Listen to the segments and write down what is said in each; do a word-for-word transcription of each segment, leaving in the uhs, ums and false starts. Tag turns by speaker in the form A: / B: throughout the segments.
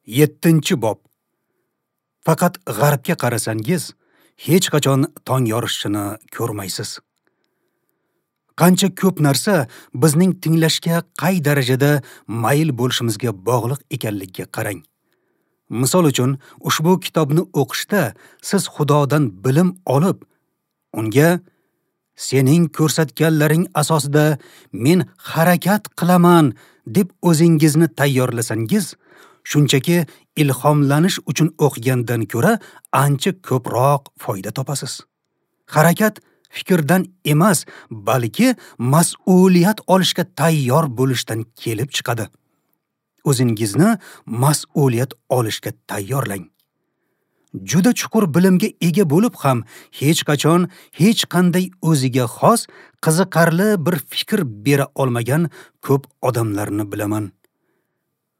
A: Yettinchi bob. Faqat g'arbga qarasangiz, hech qachon tong yorishini ko'rmaysiz. Qancha ko'p narsa bizning tinglashga qay darajada mayl bo'lishimizga bog'liq ekanligiga qarang. Misol uchun, ushbu kitobni o'qishda siz Xudodan bilim olib, unga sening ko'rsatganlaring asosida men harakat qilaman deb o'zingizni tayyorlasangiz, shunchaki ilhomlanish uchun o'qigandan ko'ra ancha ko'proq foyda topasiz. Harakat fikrdan emas, balki mas'uliyat olishga tayyor bo'lishdan kelib chiqadi. O'zingizni mas'uliyat olishga tayyorlang. Juda chuqur bilimga ega bo'lib ham hech qachon hech qanday o'ziga xos qiziqarli bir fikr bera olmagan ko'p odamlarni bilaman.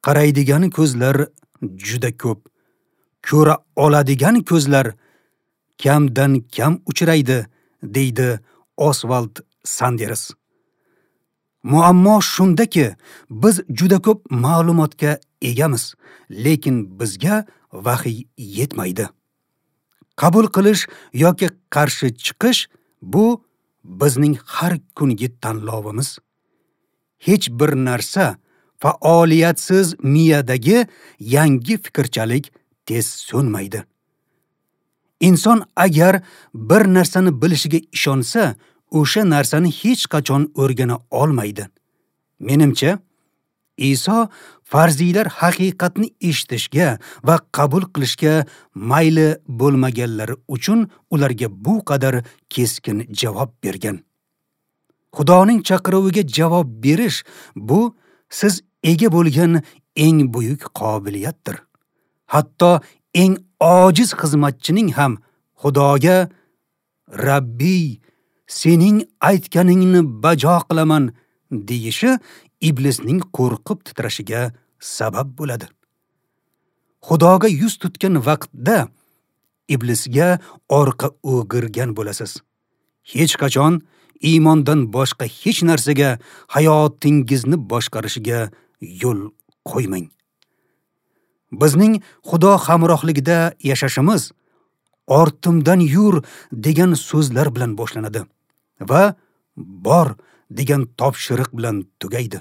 A: Qaraydigan ko'zlar juda ko'p, ko'ra oladigan ko'zlar kamdan kam uchraydi, deydi Osvald Sanders. Muammo shundaki, biz juda ko'p ma'lumotga egamiz, lekin bizga vahiy yetmaydi. Qabul qilish yoki qarshi chiqish bu bizning har kungi tanlovimiz. Hech bir narsa faoliyatsiz miyadagi yangi fikrchalik tez so'nmaydi. Inson agar bir narsani bilishiga ishonsa, o'sha narsani hech qachon o'rgana olmaydi. Menimcha, Iso farziylar haqiqatni eshitishga va qabul qilishga mayli bo'lmaganlari uchun ularga bu qadar keskin javob bergan. Xudoning chaqiruviga javob berish bu siz ega bo'lgan eng buyuk qobiliyatdir. Hatto eng ojiz xizmatchining ham Xudoga Rabbiy, sening aytganingni bajo qilaman deyishi iblisning qo'rqib titrashiga sabab bo'ladi. Xudoga yuz tutgan vaqtda iblisga orqa o'girgan bo'lasiz. Hech qachon iymondan boshqa hech narsaga hayotingizni boshqarishiga yo'l qo'ymang. Bizning Xudo hamrohligida yashashimiz ortimdan yur degan so'zlar bilan boshlanadi va bor degan topshiriq bilan tugaydi.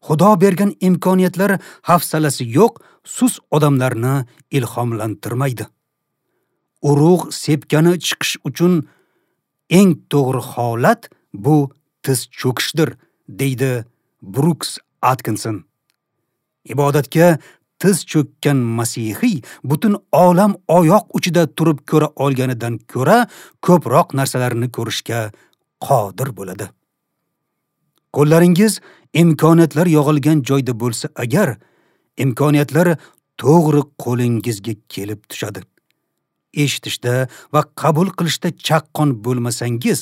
A: Xudo bergan imkoniyatlar hafsalasi yo'q, sus odamlarni ilhomlantirmaydi. Urug' sepkani chiqish uchun eng to'g'ri holat bu tiz cho'kishdir, deydi Bruks Atkinson. Ibodatga tiz cho'kkan masihiy butun olam oyoq uchida turib ko'ra olganidan ko'ra ko'proq narsalarni ko'rishga qodir bo'ladi. Qo'llaringiz imkoniyatlar yog'ilgan joyda bo'lsa agar, imkoniyatlar to'g'ri qo'lingizga kelib tushadi. Eshitishda va qabul qilishda chaqqon bo'lmasangiz,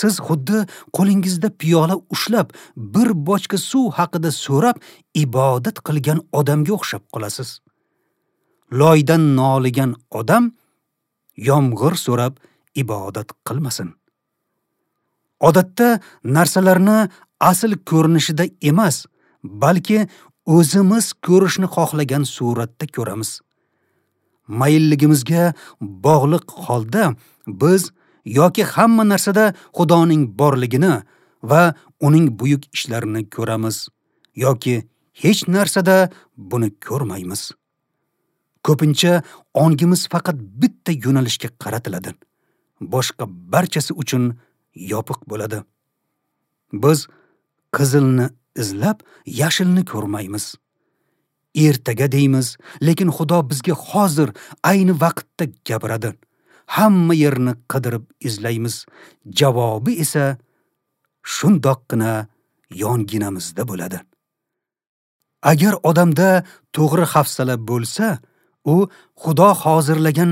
A: siz xuddi qo'lingizda piyola ushlab, bir bochka suv haqida so'rab ibodat qilgan odamga o'xshab qolasiz. Loydan noligan odam yomg'ir so'rab ibodat qilmasin. Odatda narsalarni asl ko'rinishida emas, balki o'zimiz ko'rishni xohlagan suratda ko'ramiz. Mayilligimizga bog'liq holda biz yoki hamma narsada Xudoning borligini va uning buyuk ishlarini ko'ramiz, yoki hech narsada buni ko'rmaymiz. Ko'pincha ongimiz faqat bitta yo'nalishga qaratiladi. Boshqa barchasi uchun yopiq bo'ladi. Biz qizilni izlab, yashilni ko'rmaymiz. Ertaga deymiz, lekin Xudo bizga hozir, ayni vaqtda gapiradi. Hamma yerni qidirib izlaymiz. Javobi esa shundoqqina yonginamizda bo'ladi. Agar odamda to'g'ri hafsala bo'lsa, u Xudo hozirlagan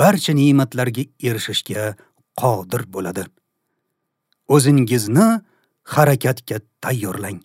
A: barcha ne'matlarga erishishga qodir bo'ladi. O'zingizni harakatga tayyorlang.